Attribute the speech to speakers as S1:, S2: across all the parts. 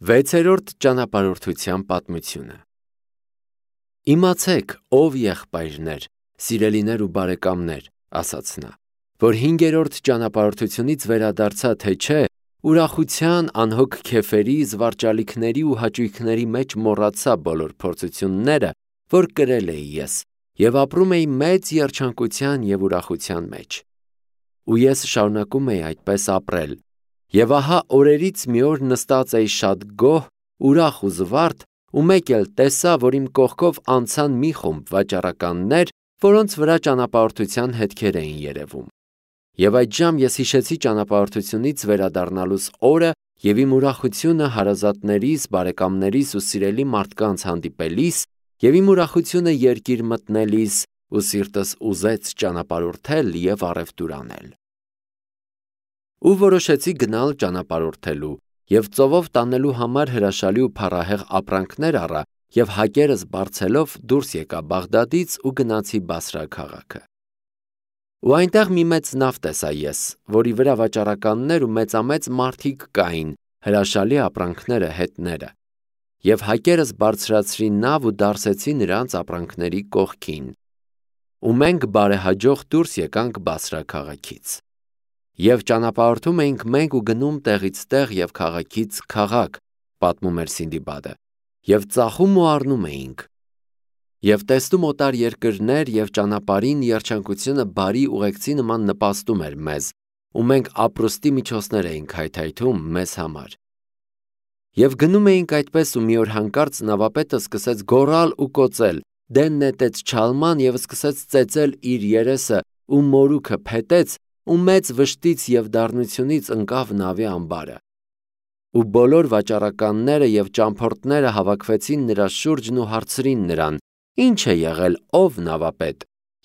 S1: Վեցերորդ ճանապարհորդության պատմությունը։ Իմացեք, ով եղբայրներ, սիրելիներ ու բարեկամներ, ասաց նա, որ 5-րդ ճանապարհորդությունից վերադարձա, թե չէ, ուրախության, անհոգ քեֆերի, զվարճալիքների ու հաճույքների մեջ մոռացա բոլոր փորձությունները, որ կրել էի ես, եւ ապրում էի մեծ երջանկության եւ ուրախության մեջ։ Ու ես շարունակում էի այդպես ապրել։ Եվ ահա օրերից մի օր նստած էի շատ գոհ, ուրախ ու զվարթ, ու մեկ էլ տեսա, որ իմ կողքով անցան մի խումբ վաճառականներ, որոնց վրա ճանապարհորդության հետքեր էին երևում։ Եվ այդժամ ես հիշեցի ճանապարհորդությունից վերադառնալուս օրը եւ իմ ուրախությունը հարազատներիս, բարեկամներիս ու սիրելի մարդկանց հանդիպելիս, եւ իմ ուրախությունը երկիր մտնելիս, ու սիրտս ուզեց ճանապարհորդել եւ առևտուր անել։ Ու որոշեցի գնալ ճանապարհորդելու եւ ծովով տանելու համար հրաշալի ու փառահեղ ապրանքներ առա եւ հակերս բարձելով դուրս եկա Բաղդադից ու գնացի Բասրա քաղաքը։ Ու այնտեղ մի մեծ նավ տեսա ես, որի վրա վաճառականներ ու մեծամեծ մարդիկ կային, հրաշալի ապրանքները հետները, եւ հակերս բարձրացրի նավ ու դարսեցի նրանց ապրանքների կողքին։ Ու մենք բարեհաջող դուրս եկանք Բասրա քաղաքից։ Եվ ճանապարհորդում էինք մենք ու գնում տեղից տեղ եւ քաղաքից քաղաք, պատմում էր Սինդիբադը, եւ ծախում ու առնում էինք։ Եվ տեսնում օտար երկրներ եւ ճանապարհին երջանկությունը բարի ուղեկցի նման նպաստում էր մեզ, ու մենք ապրուստի միջոցներ էինք հայթայթում մեզ համար։ Եվ գնում էինք այդպես ու մի օր հանկարծ նավապետը սկսեց գոռալ ու կոծել, դեն նետեց չալման եւ սկսեց ծեծել իր երեսը ու մորուքը փետեց ու մեծ վշտից եւ դառնությունից ընկավ նավի ամբարը։ Ու բոլոր վաճառականները եւ ճամփորդները հավաքվեցին նրա շուրջն ու հարցրին նրան. «Ինչ է եղել, ով նավապետ»։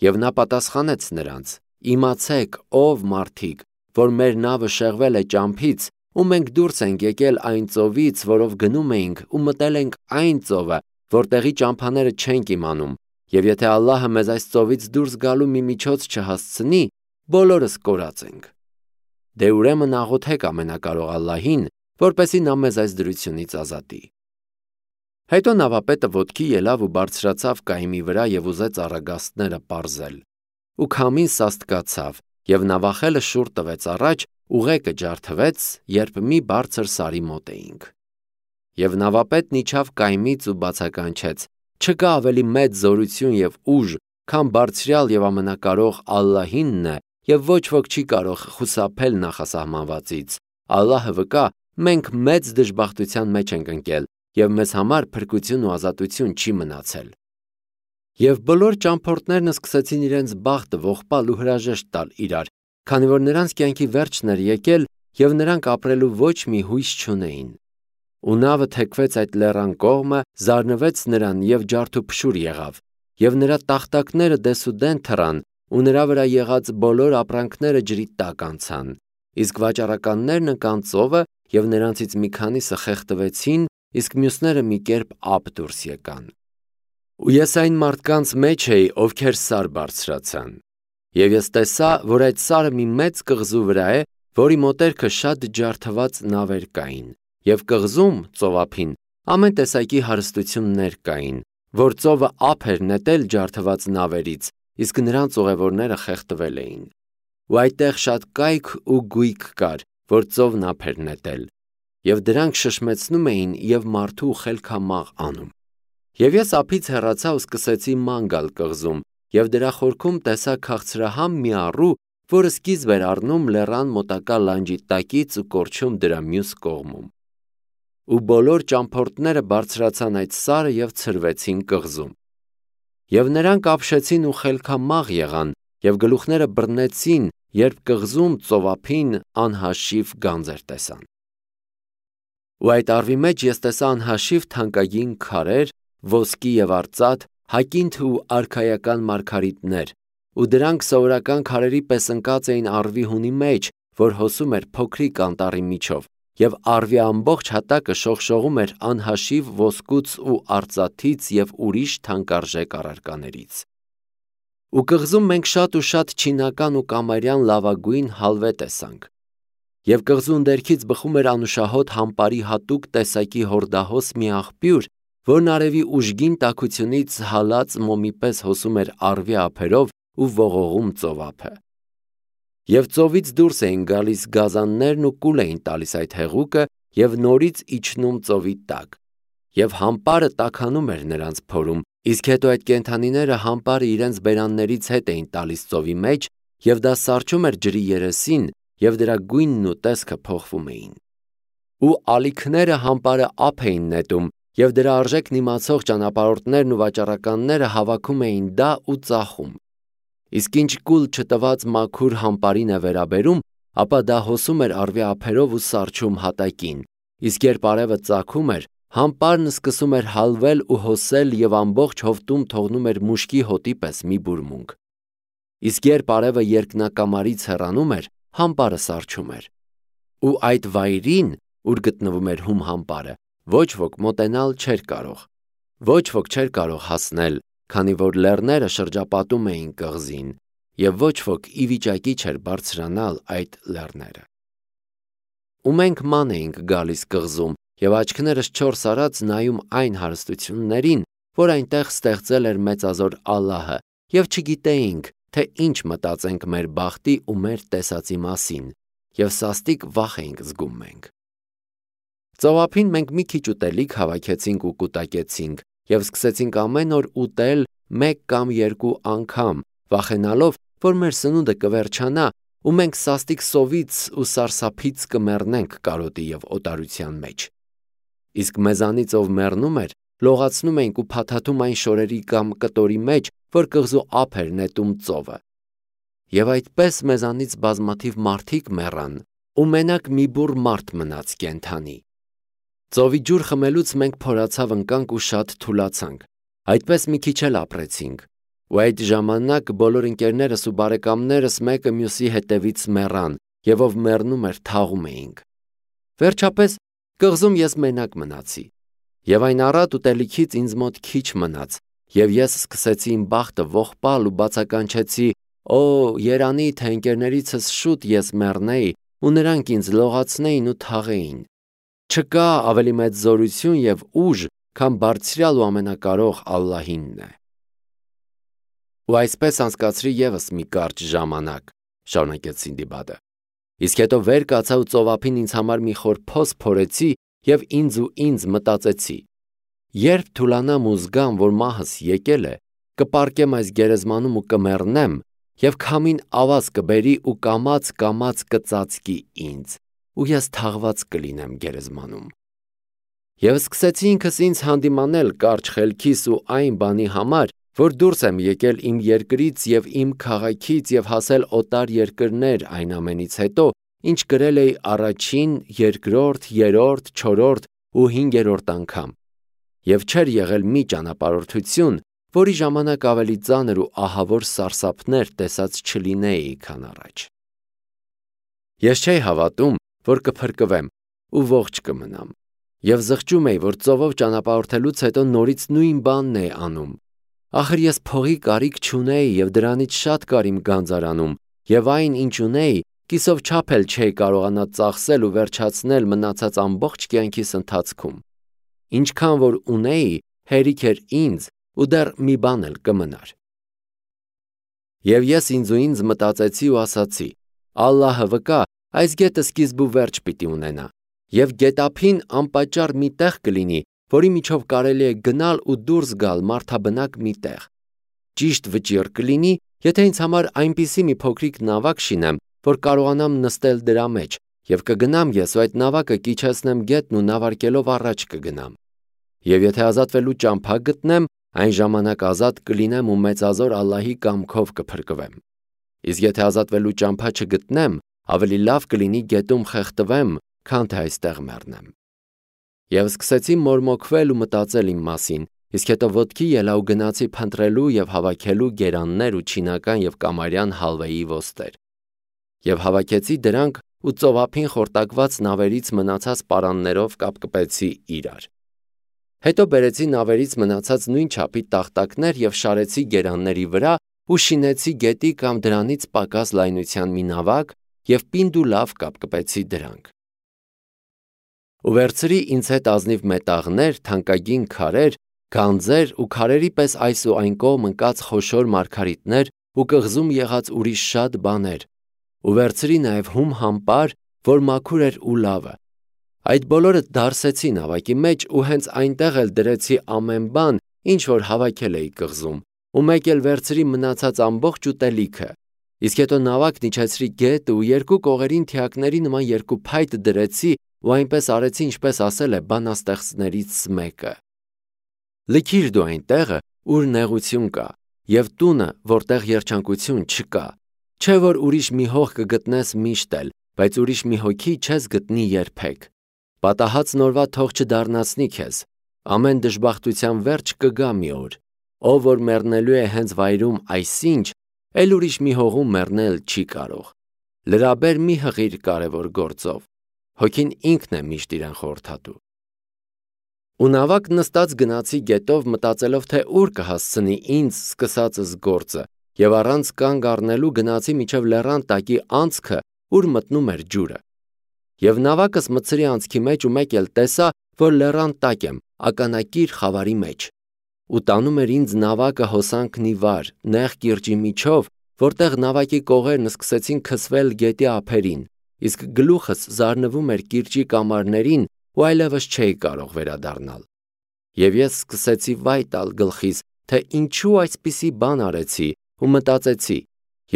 S1: Եվ նա պատասխանեց նրանց. «Իմացեք, ով մարդիկ, որ մեր նավը շեղվել է ճամփից, ու մենք դուրս ենք եկել այն ծովից, որով գնում էինք, ու մտել ենք այն ծովը, որտեղի ճամփաները չենք իմանում, եւ եթե Ալլահը մեզ այս ծովից դուրս գալու մի միջոց չհասցնի, բոլորս կորած ենք։ Դե ուրեմն աղոթեք ամենակարող Ալլահին, որպեսզի նա մեզ այս դրությունից ազատի»։ Հետո նավապետը ոտքի ելավ ու բարձրացավ կայմի վրա եւ ուզեց առագաստները պարզել։ Ու քամին սաստկացավ, եւ նավախելը շուռ տվեց առաջ, ուղեկը ջարդվեց, երբ մի բարձր սարի մոտ էինք։ Եվ նավապետն իջավ կայմից ու բացականչեց. «Չկա ավելի մեծ զորություն եւ ուժ, քան բարձրյալ եւ ամենակարող Ալլահինն է, եւ ոչ ոք չի կարող խուսափել նախասահմանվածից։ Ալլահը վկա, մենք մեծ դժբախտության մեջ ենք ընկել, եւ մեզ համար փրկություն ու ազատություն չի մնացել»։ Եվ բոլոր ճամփորդներն սկսեցին իրենց բախտը ողբալ ու հրաժեշտ տալ իրար, քանի որ նրանց կյանքի վերջն էր եկել եւ նրանք ապրելու ոչ մի հույս չունեին։ Ու նավը թեքվեց այդ լեռան կողմը, զարնվեց նրան եւ ջարդուփշուր եղավ, եւ նրա տախտակները դեսուդեն թռան, ու նրա վրա եղած բոլոր ապրանքները ջրի տակ անցան։ Իսկ վաճառականներն ընկան ծովը եւ նրանցից մի քանիսը խեղդվեցին, իսկ մյուսները մի կերպ ափ դուրս եկան։ Ու ես այն մարդկանց մեջ էի, ովքեր սար բարձրացան։ Եվ ես տեսա, որ այդ սարը մի մեծ կղզու վրա է, որի մոտերքը շատ ջարդված նավեր կային, եւ կղզում, ծովափին, ամեն տեսակի հարստություններ կային, որ ծովը ափ էր նետել ջարդված նավերից, իսկ նրանց ուղևորները խեղդվել էին։ Ու այդտեղ շատ կայք ու գույք կար, որ ծովն ափ էր նետել, եւ դրանք շշմեցնում էին եւ մարդու խելքամաղ անում։ Եվ ես ափից հեռացա ու սկսեցի ման գալ կղզում, եւ դրա խորքում տեսա քաղցրահամ մի առու, որը սկիզբ էր առնում լեռան մոտակա լանջի տակից ու կորչում դրա մյուս կողմում։ Ու բոլոր ճամփորդները բարձրացան այդ սարը եւ ցրվեցին կղզում։ Եվ նրանք ապշեցին ու խելքամաղ եղան, եւ գլուխները բռնեցին, երբ կղզում ծովափին անհաշիվ գանձեր տեսան։ Ու այդ առվի մեջ ես տեսա անհաշիվ թանկագին քարեր, ոսկի եւ արծաթ, հակինթ ու արքայական մարգարիտներ, ու դրանք սովորական քարերի պես ընկած էին առվի հունի մեջ, որ հոսում էր փոքրիկ անտառի միջով, եւ առվի ամբողջ հատակը շողշողում էր անհաշիվ ոսկուց ու արծաթից եւ ուրիշ թանկարժեք առարկաներից։ Ու կղզում մենք շատ ու շատ չինական ու կամարյան լավագույն հալվե տեսանք։ Եվ կղզու ընդերքից բխում էր անուշահոտ համպարի հատուկ տեսակի հորդահոս մի աղբյուր, որն արևի ուժգին տաքությունից հալած մոմի պես հոսում էր առվի ափերով ու ողողում ծովափը։ Եվ ծովից դուրս էին գալիս գազաններն ու կուլ էին տալիս այդ հեղուկը և նորից իջնում ծովի տակ։ Եվ համպարը տաքանում էր նրանց փորում, իսկ հետո այդ կենդանիները համպարը իրենց բերաններից հետ էին տալիս ծովի մեջ, և դա սառչում էր ջրի երեսին, և դրա գույնն ու տեսքը փոխվում էին։ Ու ալիքները համպարը ափ էին նետում, և դրա արժեքն իմացող ճանապարհորդներն ու վաճառականները հավաքում էին դա ու ծախում։ Իսկ ինչ կուլ չտված մաքուր համպարին է վերաբերում, ապա դա հոսում էր առվի ափերով ու սառչում հատակին, իսկ երբ արևը ծագում էր, համպարն սկսում էր հալվել ու հոսել և ամբողջ հովտում թողնում էր մուշկի հոտի պես մի բուրմունք։ Իսկ երբ արևը երկնակամարից հեռանում էր, համպարը սառչում էր։ Ու այդ վայրին, ուր գտնվում էր հում համպարը, ոչ ոք մոտենալ չէր կարող։ Ոչ ոք չէր կարող հասնել, քանի որ լեռները շրջապատում էին կղզին, և ոչ ոք ի վիճակի չէր բարձրանալ այդ լեռները։ Ու մենք ման էինք գալիս կղզում, և աչքներս չորս արած նայում այն հարստություններին, որ այնտեղ ստեղծել էր մեծազոր Ալլահը, և չգիտեինք, թե ինչ մտածենք մեր բախտի ու մեր տեսածի մասին, և սաստիկ վախ էինք զգում մենք։ Ծովափին մենք մի քիչ ուտելիք հավաքեցինք ու կուտակեցինք, և սկսեցինք ամեն օր ուտել մեկ կամ երկու անգամ, վախենալով, որ մեր սնունդը կվերջանա, ու մենք սաստիկ սովից ու սարսափից կմեռնենք կարոտի և օտարության մեջ։ Իսկ մեզանից ով մեռնում էր, լողացնում էինք ու փաթաթում այն շորերի կամ կտորի մեջ, որ կղզու ափ էր նետում ծովը։ Եվ այդպես մեզանից բազմաթիվ մարդիկ մեռան, ու մենակ մի բուռ մարդ մնաց կենդանի։ Ծովի ջուր խմելուց մենք փորացավ ընկանք ու շատ թուլացանք, այդպես մի քիչ էլ ապրեցինք, ու այդ ժամանակ բոլոր ընկերներս ու բարեկամներս մեկը մյուսի հետևից մեռան, և ով մեռնում էր թաղում էինք։ Վերջապես կղզում ես մենակ մնացի, և այն առատ ուտելիքից ինձ մոտ քիչ մնաց, և ես սկսեցի իմ բախտը ողբալ ու բացականչեցի. «Օ, երանի, թե ընկերներիցս շուտ ես մեռնեի, ու նրանք ինձ լողացնեին ու թաղեին։ Չկա ավելի մեծ զորություն և ուժ, քան բարձրյալ ու ամենակարող Ալլահինն է»։ Ու այսպես անցկացրի ևս մի կարճ ժամանակ, շարունակեց Սինդբադը։ Իսկ հետո վեր կացա ու ծովափին ինձ համար մի խոր փոս փորեցի և ինձ մտածեցի. երբ թուլանամ ու զգամ, որ մահս եկել է, կպառկեմ այս գերեզմանում ու կմեռնեմ, և քամին ավազ կբերի ու կամաց կծածկի ինձ, ու ես թաղված կլինեմ գերեզմանում։ Եվ սկսեցի ինքս ինձ հանդիմանել կարճ խելքիս ու այն բանի համար, որ դուրս եմ եկել իմ երկրից և իմ քաղաքից և հասել օտար երկրներ այն ամենից հետո, ինչ կրել էի առաջին, երկրորդ, երրորդ, չորրորդ ու հինգերորդ անգամ, և չէր եղել մի ճանապարհորդություն, որի ժամանակ ավելի ծանր ու ահավոր սարսափներ տեսած չլինեի, քան առաջ։ Ես չէի հավատում, որ կփրկվեմ ու ողջ կմնամ, և զղջում էի, որ ծովով ճանապարհորդելուց հետո նորից նույն բանն էի անում։ Ախր ես փողի կարիք չունեի և դրանից շատ կար իմ գանձարանում, և այն, ինչ ունեի, կիսով չափ էլ չէի կարողանա ծախսել ու վերջացնել մնացած ամբողջ կյանքիս ընթացքում։ Ինչքան որ ունեի, հերիք էր ինձ ու դեռ մի բան էլ կմնար։ Եվ ես ինձ մտածեցի ու ասացի. Ալլահը վկա, այս գետը սկիզբ ու վերջ պիտի ունենա, և գետափին անպատճառ մի տեղ կլինի, որի միջով կարելի է գնալ ու դուրս գալ մարդաբնակ մի տեղ։ Ճիշտ վճիռ կլինի, եթե ինձ համար այնպիսի մի փոքրիկ նավակ շինեմ, որ կարողանամ նստել դրա մեջ, և կգնամ ես ու այդ նավակը կիջեցնեմ գետն ու նավարկելով առաջ կգնամ։ Եվ եթե ազատվելու ճամփա գտնեմ, այն ժամանակ ազատ կլինեմ ու մեծազոր Ալլահի կամքով կփրկվեմ։ Իսկ եթե ազատվելու ճամփա չգտնեմ, ավելի լավ կլինի գետում խեղդվեմ, քան թե այստեղ մեռնեմ։ Եվ սկսեցի մորմոքվել ու մտածել իմ մասին, իսկ հետո ոտքի ելա ու գնացի փնտրելու և հավաքելու գերաններ ու չինական և կամարյան հալվեի ոսկեր։ Եվ հավաքեցի դրանք ու ծովափին խորտակված նավերից մնացած պարաններով կապկպեցի իրար։ Հետո բերեցի նավերից մնացած նույն չափի տախտակներ և շարեցի գերանների վրա ու շինեցի գետի կամ դրանից պակաս լայնության մի նավակ և պինդ ու լավ կապկպեցի դրանք։ Ու վերցրի ինձ հետ ազնիվ մետաղներ, թանկագին քարեր, գանձեր ու քարերի պես այս ու այն կողմ ընկած խոշոր մարգարիտներ ու կղզում եղած ուրիշ շատ բաներ, ու վերցրի նաև հում համպար, որ մաքուր էր ու լավը։ Այդ բոլորը դարսեցի նավակի մեջ ու հենց այնտեղ էլ դրեցի ամեն բան, ինչ որ հավաքել էի կղզում, ու մեկ էլ վերցրի մնացած ամբողջ ուտելիքը։ Իսկ հետո նավակն իջեցրի գետը ու երկու կողերին թիակների նման երկու փայտ դրեցի ու այնպես արեցի, ինչպես ասել է բանաստեղծներից մեկը. Լքիր դու այն տեղը, ուր նեղություն կա, և տունը, որտեղ երջանկություն չկա, չէ որ ուրիշ մի հող կգտնես միշտ էլ, բայց ուրիշ մի հոգի չես գտնի երբեք։ Պատահած նորվա թող չդառնացնի քեզ, ամեն դժբախտության վերջ կգա մի օր, ով որ մեռնելու է հենց վայրում այսինչ, էլ ուրիշ մի հողում մեռնել չի կարող։ Լրաբեր մի հղիր կարևոր գործով, հոգին ինքն է միշտ իրեն խորհրդատու։ Ու նավակ նստած գնացի գետով մտածելով, թե ուր կհասցնի ինձ սկսածս գործը, և առանց կանգ առնելու գնացի մինչև լեռան տակի անցքը, ուր մտնում էր ջուրը։ Եվ նավակս մտցրի անցքի մեջ ու մեկ էլ տեսա, որ լեռան տակ եմ, ականակիր խավարի մեջ։ Ու տանում էր ինձ նավակը հոսանքն ի վար, նեղ կիրճի միջով, որտեղ նավակի կողերն սկսեցին քսվել գետի ափերին, իսկ գլուխս զարնվում էր կիրճի կամարներին ու այլևս չէի կարող վերադառնալ։ Եվ ես սկսեցի վայ տալ գլխիս, թե ինչու այսպիսի բան արեցի ու մտածեցի.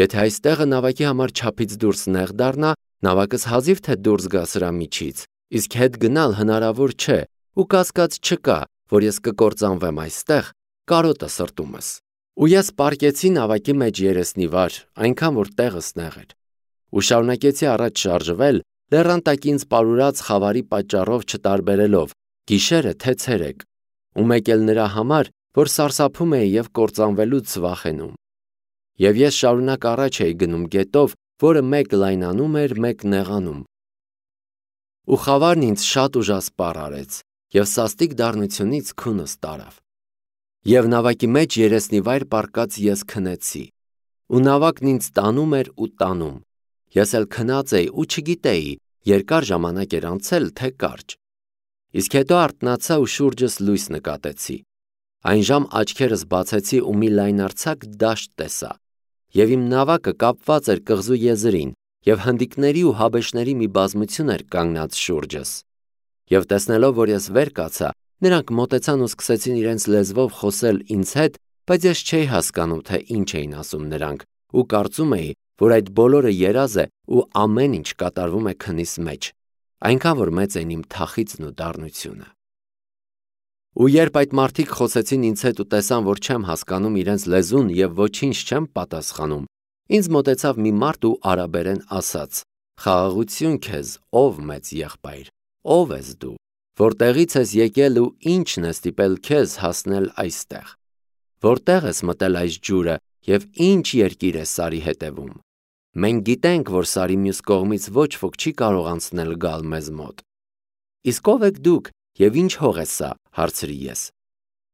S1: եթե այստեղը նավակի համար չափից դուրս նեղ դառնա, նավակս հազիվ թե դուրս գա սրա միջից, իսկ հետ գնալ հնարավոր չէ ու կասկած չկա, որ ես կկործանվեմ այստեղ, կարոտը սրտումս։ Ու ես պառկեցի նավակի մեջ երեսնի վար, այնքան որ տեղս նեղ էր, ու շարունակեցի առաջ շարժվել, լեռան տակ ինձ պարուրած խավարի պատճառով չտարբերելով, գիշերը թե ցերեկ, ու մեկ էլ նրա համար, որ սարսափում էի և կործանվելուց վախենում։ Եվ ես շարունակ առաջ էի գնում գետով, որը մեկ լայնանում էր, մեկ նեղանում։ Ու խավարն ինձ շատ ուժասպառ արեց, և սաստիկ դառնությունից քունս տարավ։ Եվ նավակի մեջ երեսնի վայր պառկած ես քնեցի, ու նավակն ինձ տանում էր ու տանում։ Ես էլ քնած էի ու չգիտեի, երկար ժամանակ էր անցել, թե կարճ։ Իսկ հետո արթնացա ու շուրջս լույս նկատեցի։ Այն ժամ աչքերս բացեցի ու մի լայնարձակ դաշտ տեսա, և իմ նավակը կապված էր կղզու եզրին, և հնդիկների ու հաբեշների մի բազմություն էր կանգնած շուրջս։ Եվ տեսնելով, որ ես վեր կացա, նրանք մոտեցան ու սկսեցին իրենց լեզվով խոսել ինձ հետ, բայց ես չէի հասկանում, թե ինչ էին ասում նրանք, ու կարծում էի, որ այդ բոլորը երազ է ու ամեն ինչ կատարվում է քնիս մեջ, այնքան որ մեծ էին իմ թախիծն ու դառնությունը։ Ու երբ այդ մարդիկ խոսեցին ինձ հետ ու տեսան, որ չեմ հասկանում իրենց լեզուն և ոչինչ չեմ պատասխանում, ինձ մոտեցավ մի մարդ ու արաբերեն ասաց. «Խաղաղություն քեզ, ով մեծ եղբայր, ով ես դու, որտեղից ես եկել ու ի՞նչն է ստիպել քեզ հասնել այստեղ, որտեղ ես մտել այս ջուրը և ի՞նչ երկիր է Սարի հետևում։ Մենք գիտենք, որ Սարի մյուս կողմից ոչ ոք չի կարող անցնել գալ մեզ մոտ»։ «Իսկ ով եք դուք և ինչ հող է սա», հարցրի ես։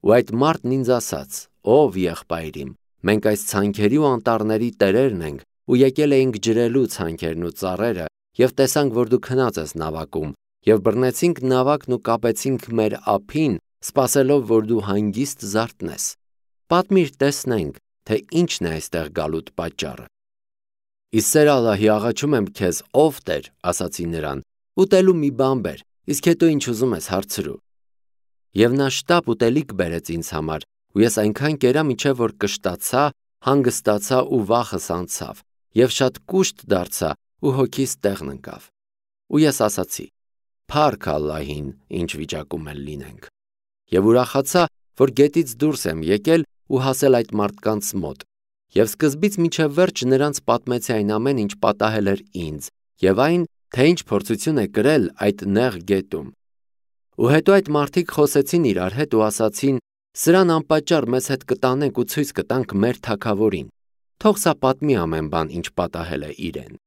S1: Ու այդ մարդն ինձ ասաց. «Ով եղբայր իմ, մենք այս ցանքերի ու անտառների տերերն ենք ու եկել էինք ջրելու ցանքերն ու ծառերը և տեսանք, որ դու քնած ես նավակում, և բռնեցինք նավակն ու կապեցինք մեր ափին, սպասելով, որ դու հանգիստ զարթնես։ Պատմիր տեսնենք, թե ինչն է այստեղ գալուտ պատճառը»։ «Ի սեր Ալլահի աղաչում եմ քեզ, ով Տեր», ասացի նրան, «ուտելու մի բան բեր, իսկ հետո ինչ ուզում ես հարցրու»։ Եվ նա շտապ ուտելիք բերեց ինձ համար, ու ես այնքան կերա, մինչև որ կշտացա, հանգստացա ու վախս անցավ, և շատ կուշտ դարձա ու հոգիս տեղն ընկավ։ Ու ես ասացի. «Փառք Ալլահին, ինչ վիճակում էլ լինենք»։ Եվ ուրախացա, որ գետից դուրս եմ եկել ու հասել այդ մարդկանց մոտ, և սկզբից մինչև վերջ նրանց պատմեցի այն ամեն, ինչ պատահել էր ինձ, և այն, թե ինչ փորձություն է կրել այդ նեղ գետում։ Ու հետո այդ մարդիկ խոսեցին իրար հետ ու ասացին. «Սրան անպատճառ մեզ հետ կտանենք ու ցույց կտանք մեր թագավորին, թող սա պատմի ամեն բան, ինչ պատահել է իրեն»։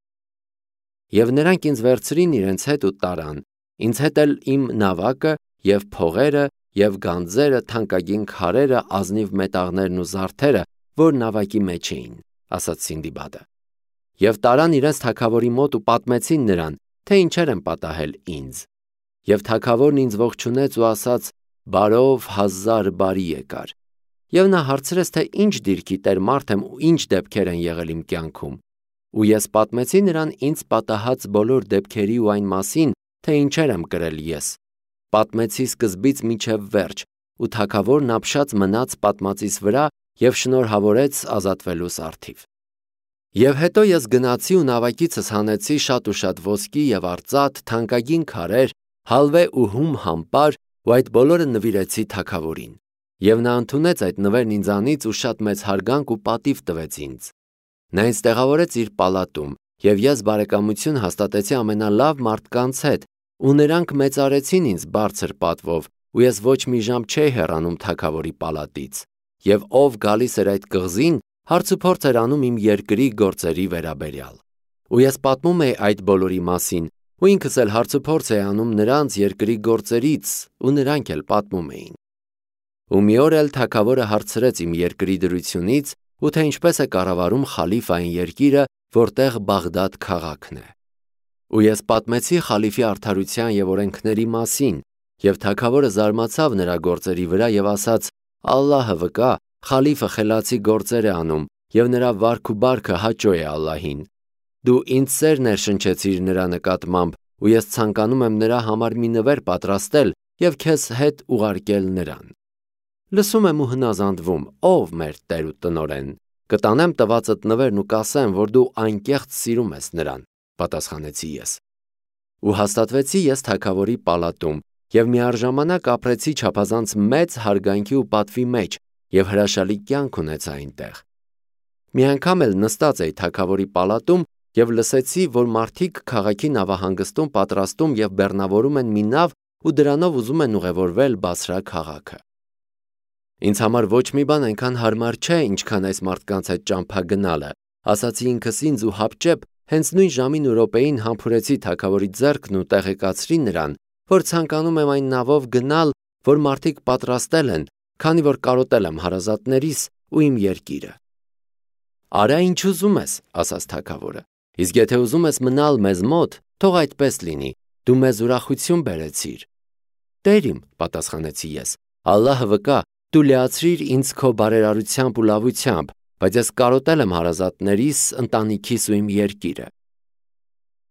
S1: Եվ նրանք ինձ վերցրին իրենց հետ ու տարան, ինձ հետ էլ իմ նավակը և փողերը և գանձերը, թանկագին քարերը, ազնիվ մետաղներն ու զարդերը, որ նավակի մեջ էին, ասաց Սինդիբադը։ Եվ տարան իրենց թագավորի մոտ ու պատմեցին նրան, թե ինչեր են պատահել ինձ։ Եվ թագավորն ինձ ողջունեց ու ասաց. «Բարով 1000 բարի եկար»։ Եվ նա հարցրեց, թե ինչ դիրքի տեր մարդ եմ ու ինչ դեպքեր են եղել իմ կյանքում։ Ու ես պատմեցի նրան ինձ պատահած բոլոր դեպքերի ու այն մասին, թե ինչեր եմ կրել ես։ Պատմեցի սկզբից մինչև վերջ, ու թագավորն ապշած մնաց պատմածիս վրա և շնորհավորեց ազատվելուս արդիվ։ Եվ հետո ես գնացի ու նավակիցս հանեցի շատ ու շատ ոսկի և արծաթ, թանկագին քարեր, հալվե ու հում համպար, ու այդ բոլորը նվիրեցի թագավորին։ Եվ նա ընդունեց այդ նվերն ինձանից ու շատ մեծ հարգանք ու պատիվ տվեց ինձ։ Նա ինձ տեղավորեց իր պալատում, և ես բարեկամություն հաստատեցի ամենալավ մարդկանց հետ, ու նրանք մեծարեցին ինձ բարձր պատվով, ու ես ոչ մի ժամ չէի հեռանում թագավորի պալատից։ Եվ ով գալիս էր այդ կղզին, հարցուփորձ էր անում իմ երկրի գործերի վերաբերյալ։ Ու ես պատմում էի այդ բոլորի մասին, ու ինքս էլ հարցուփորձ էի անում նրանց երկրի գործերից, ու նրանք էլ պատմում էին։ Ու մի օր էլ թագավորը հարցրեց իմ երկրի դրությունից, ու թե ինչպես է կառավարում խալիֆը այն երկիրը, որտեղ Բաղդադ քաղաքն է։ Ու ես պատմեցի խալիֆի արդարության և օրենքների մասին, և թագավորը զարմացավ նրա գործերի վրա և ասաց. «Ալլահը վկա, խալիֆը խելացի գործեր է անում, և նրա վարք ու բարքը հաճո է Ալլահին։ Դու ինձ սեր ներշնչեցիր նրա նկատմամբ, ու ես ցանկանում եմ նրա համար մի նվեր պատրաստել և քեզ հետ ուղարկել նրան»։ Լսում եմ ու հնազանդվում, ով մեր Տեր ու տնօրեն, կտանեմ տվածդ նվերն ու կասեմ, որ դու անկեղծ սիրում ես նրան, պատասխանեցի ես։ Ու հաստատվեցի ես թագավորի պալատում, և միառժամանակ ապրեցի չափազանց մեծ հարգանքի ու պատվի մեջ, և հրաշալի կյանք ունեցա այնտեղ։ Մի անգամ էլ նստած էի թագավորի պալատում և լսեցի, որ մարդիկ քաղաքի նավահանգստում պատրաստում և բեռնավորում են մի նավ ու դրանով ուզում են ուղևորվել Բասրա քաղաքը։ Ինձ համար ոչ մի բան այնքան հարմար չէ, ինչքան այս մարդկանց հետ ճամփա գնալը, ասացի ինքս ինձ ու հապճեպ հենց նույն ժամին ու րոպեին համբուրեցի թագավորի ձեռքն ու տեղեկացրի նրան, որ ցանկանում եմ այն նավով գնալ, որ մարդիկ պատրաստել են, քանի որ կարոտել եմ հարազատներիս ու իմ երկիրը։ «Արա ինչ ուզում ես», ասաց թագավորը, «իսկ եթե ուզում ես մնալ մեզ մոտ, թող այդպես լինի, դու մեզ ուրախություն բերեցիր»։ «Տեր իմ», պատասխանեցի ես, «Ալլահը վկա, դու լիացրիր ինձ քո բարերարությամբ ու լավությամբ, բայց ես կարոտել եմ հարազատներիս, ընտանիքիս ու իմ երկիրը»։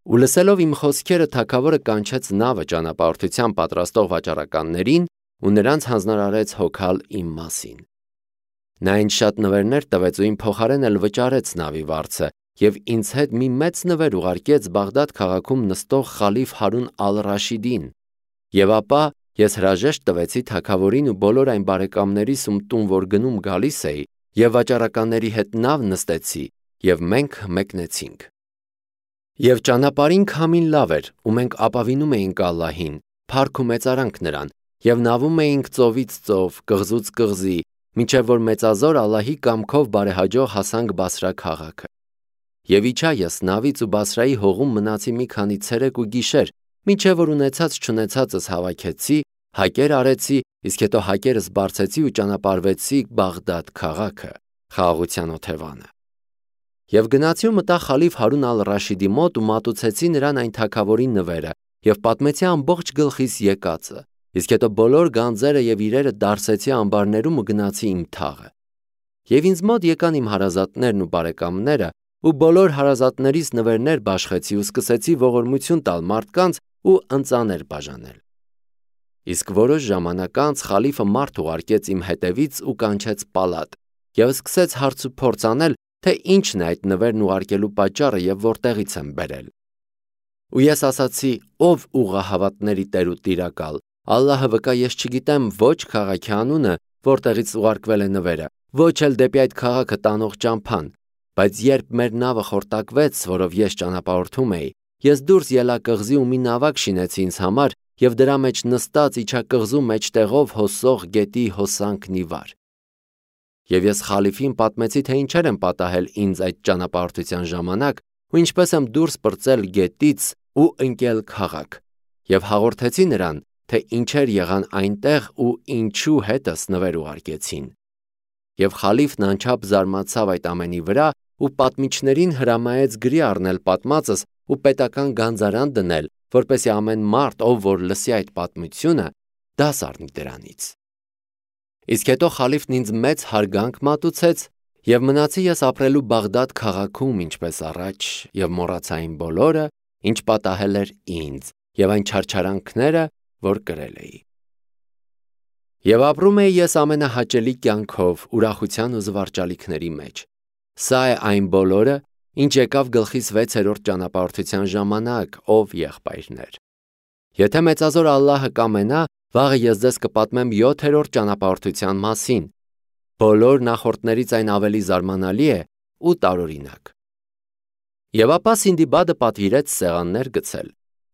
S1: Ու լսելով իմ խոսքերը թագավորը կանչեց նավը ճանապարհորդության պատրաստող վաճառականներին ու նրանց հանձնարարեց հոգալ իմ մասին։ Նա ինձ շատ նվերներ տվեց ու իմ փոխարեն էլ վճարեց նավի վարձը և ինձ հետ մի մեծ նվեր ուղարկեց Բաղդադ քաղաքում նստող խալիֆ Հարուն ալ-Ռաշիդին։ Եվ ապա ես հրաժեշտ տվեցի թագավորին ու բոլոր այն բարեկամներիս, ում տուն որ գնում գալիս էի, և վաճառականների հետ նավ նստեցի, և մենք մեկնեցինք։ Եվ ճանապարհին քամին լավ էր, ու մենք ապավինում էինք Ալլահին, փառք ու մեծարանք նրան, և նավում էինք ծովից ծով, կղզուց կղզի, մինչև որ մեծազոր Ալլահի կամքով բարեհաջող հասանք Բասրա քաղաքը։ Եվ իջա ես նավից ու Բասրայի հողում մնացի մի քանի ցերեկ ու գիշեր, մինչև որ ունեցած չունեցածս հավաքեցի, հակեր արեցի, իսկ հետո հակերս բարձեցի ու ճանապարհվեցի Բաղդադ քաղաքը, խաղաղության օթևանը։ Եվ գնացի ու մտա խալիֆ Հարուն ալ-Ռաշիդի մոտ ու մատուցեցի նրան այն թագավորի նվերը և պատմեցի ամբողջ գլխիս եկածը, իսկ հետո բոլոր գանձերը և իրերը դարսեցի ամբարներում ու գնացի իմ թաղը։ Եվ ինձ մոտ եկան իմ հարազատներն ու բարեկամները, ու բոլոր հարազատներիս նվերներ բաշխեցի ու սկսեցի ողորմություն տալ մարդկանց ու ընծաներ բաժանել։ Իսկ որոշ ժամանակ անց խալիֆը մարդ ուղարկեց իմ հետևից ու կանչեց պալատ և սկսեց հարց ու փորձ անել, թե ինչն է այդ նվերն ուղարկելու պատճառը և որտեղից եմ բերել։ Ու ես ասացի. «Ով ուղղահավատների Տեր ու Տիրակալ, Ալլահը վկա, ես չգիտեմ ոչ քաղաքի անունը, որտեղից ուղարկվել է նվերը, ոչ էլ դեպի այդ քաղաքը տանող ճամփան, բայց երբ մեր նավը խորտակվեց, որով ես ճանապարհորդում էի, ես դուրս ելա կղզի ու մի նավակ շինեցի ինձ համար և դրա մեջ նստած իջա կղզու մեջտեղով հոսող գետի հոսանքն ի վար։ Եվ ես խալիֆին պատմեցի, թե ինչեր են պատահել ինձ այդ ճանապարհորդության ժամանակ ու ինչպես եմ դուրս պրծել գետից ու ընկել քաղաք, և հաղորդեցի նրան, թե ինչեր եղան այնտեղ ու ինչու հետս նվեր ուղարկեցին։ Եվ խալիֆն անչափ զարմացավ այդ ամենի վրա ու պատմիչներին հրամայեց գրի առնել պատմածս ու պետական գանձարան դնել, որպեսզի ամեն մարդ, ով որ լսի այդ պատմությունը, դաս առնի դրանից։ Իսկ հետո խալիֆն ինձ մեծ հարգանք մատուցեց եւ մնացի ես ապրելու Բաղդադ քաղաքում ինչպես առաջ եւ մոռացա այն բոլորը, ինչ պատահել էր ինձ եւ այն չարչարանքները, որ կրել էի։ Եվ ապրում էի ես ամենահաճելի կյանքով ուրախության ու զվարճալիքների մեջ։ Սա է այն բոլորը, ինչ եկավ գլխիս 6-րդ ճանապարհորդության ժամանակ, ով եղբայրներ։ Եթե մեծազոր Ալլահը կամենա, վաղը ես ձեզ կպատմեմ 7-րդ ճանապարհորդության մասին։ Բոլոր նախորդներից այն ավելի զարմանալի է ու տարօրինակ։ Եվ ապա Սինդիբադը պատվիրեց սեղաններ գցել,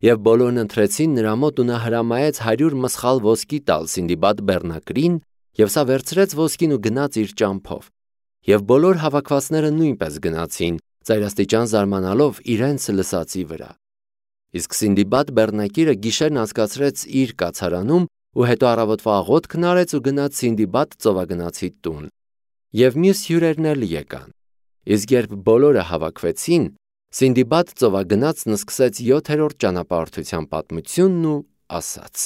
S1: եւ բոլորն ընթրեցին նրա մոտ ու նա հրամայեց 100 մսխալ ոսկի տալ Սինդիբադ բեռնակրին, եւ սա վերցրեց ոսկին ու գնաց իր ճամփով։ Եվ բոլոր հավաքվածները նույնպես գնացին, ծայրաստիճան զարմանալով իրենց լսածի վրա։ Իսկ Սինդիբադ բեռնակիրը գիշերն անցկացրեց իր կացարանում ու հետո առավոտվա աղոթքն արեց ու գնաց Սինդիբադ ծովագնացի տուն։ Եվ մյուս հյուրերն էլ եկան։ Իսկ երբ բոլորը հավաքվեցին, Սինդիբադ ծովագնացն սկսեց 7-րդ ճանապարհորդության պատմությունն ու ասաց.